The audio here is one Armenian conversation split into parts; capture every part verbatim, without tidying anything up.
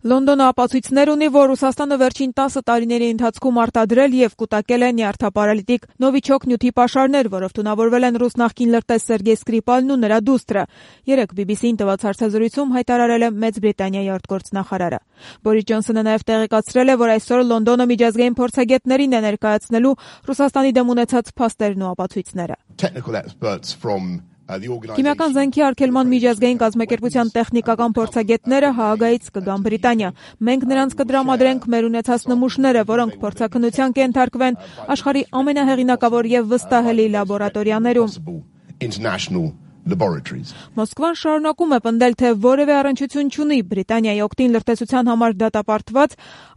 Լոնդոնը ապացույցներ ունի, որ Ռուսաստանը վերջին տասը տարիների ընթացքում արտադրել և կուտակել է նյարդապարալիտիկ նովիչոկ նյութի պաշարներ, որով թունավորվել են ռուս նախկին լրտես Սերգեյ Սկրիպալն ու նրա դուստրը, երեկ բի բի սի-ին տված հարցազրույցում հայտարարել է Մեծ Բրիտանիայի արտգործնախարարը։ Բորիս Ջոնսոնը նաև տեղեկացրել է, որ այսօր Լոնդոնը միջազգային փորձագետներին է ներկայացնելու Ռուսաստանի դեմ ունեցած փաստերն ու ապացույցները։ Քիմիական զենքի արգելման միջազգային կազմակերպության տեխնիկական փորձագետները Հաագայից կգան Բրիտանիա։ Մենք նրանց կդրամադրենք մեր ունեցած նմուշները, որոնք փորձաքննության կենթարկվեն աշխարհի ամենահեղինակավոր և վստահելի լաբորատորիաներում։ Մոսկվան շարունակում է պնդել, թե որևէ առնչություն չունի Բրիտանիայի օգտին լրտեսության համար դատապարտված,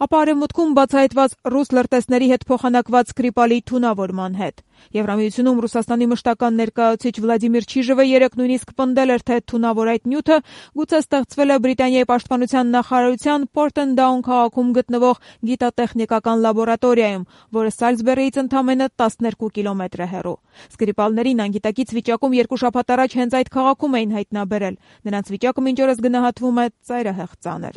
ապա Արևմուտքում բացահայտված ռուս լրտեսների հետ փոխանակված Սկրիպալի թունավորման հետ։ Եվրամիությունում Ռուսաստանի մշտական ներկայացուցիչ Վլադիմիր Չիժևը երեկ նույնիսկ պնդել էր, թե թունավոր այդ նյութը գուցե ստեղծվել է Բրիտանիայի պաշտպանության նախարարության Պորտենդաուն քաղաքում գտնվող գիտատեխնիկական լաբորատորիայում, որը Սալզբերիից ընդամենը տասներկու կիլոմետր է հեռու։ Սկրիպալներին անգիտակից վիճակում երկու շաբաթ առաջ հենց այդ քաղաքում էին հայտնաբերել։ Նրանց վիճակը մինչ օրս գնահատվում է ծայրահեղ ծանր։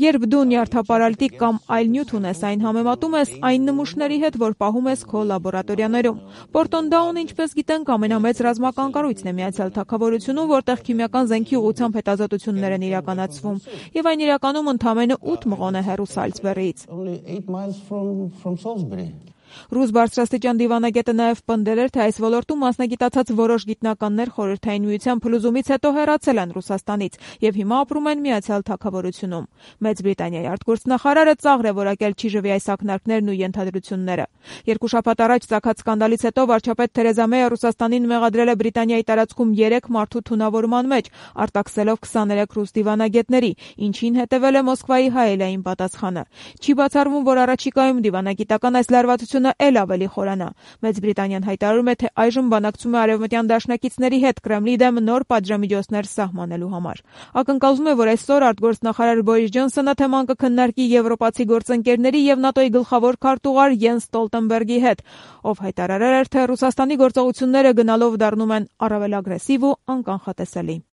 Երբ դու նյարդապարալիտիկ կամ այլ նյութ ունես, այն համեմատում ես այն նմուշների հետ, որ պահում ես քո լաբորատորիաներում։ Պորտոնդաունը, ինչպես գիտենք, ամենամեծ ռազմական կառույցն է Միացյալ Թագավորությունում, որտեղ քիմիական զենքի ուղղությամբ հետազոտություններ են իրականացվում, եւ այն իրականում ընդամենը ութ մղոն է հեռու Սալզբերիից։ Ռուս բարձրաստիճան դիվանագետը նաև պնդել էր, թե այս ոլորտում մասնագիտացած որոշ գիտնականներ Խորհրդային Միության փլուզումից հետո հեռացել են Ռուսաստանից եւ հիմա ապրում են Միացյալ Թագավորությունում։ Մեծ Բրիտանիայի արտգործնախարարը ծաղր է որակել Չիժևի այս ակնարկներն ու ենթադրությունները։ Երկու շաբաթ առաջ ծագած սկանդալից հետո վարչապետ Թերեզա Մեյը Ռուսաստանին մեղադրել է Բրիտանիայի տարածքում երեք մարդու թունավորման մեջ, արտաքսելով քսաներեք ռուս դիվանագետների, ինչին հետևել է Մոսկվայի հայելային պատասխանը։ Չի բացառվում, որ առաջիկայում դիվանագիտական այս լարվածությունը էլ ավելի խորանա։ Մեծ Բրիտանիան հայտարարում է, թե այժմ բանակցում է արևմտյան դաշնակիցների հետ Կրեմլի դեմ նոր պատժամիջոցներ սահմանելու համար։ Ակնկալվում է, որ այսօր արտգործնախարար Բորիս Ջոնսոնը թեման կքննարկի եվրոպացի գործընկերների եւ ՆԱՏՕ-ի գլխավոր քարտուղար Յենս Ստոլտենբերգի հետ, ով հայտարարել էր, թե Ռուսաստանի գործողությունները գնալով դառնում են առավել ագրեսիվ ու անկանխատեսելի։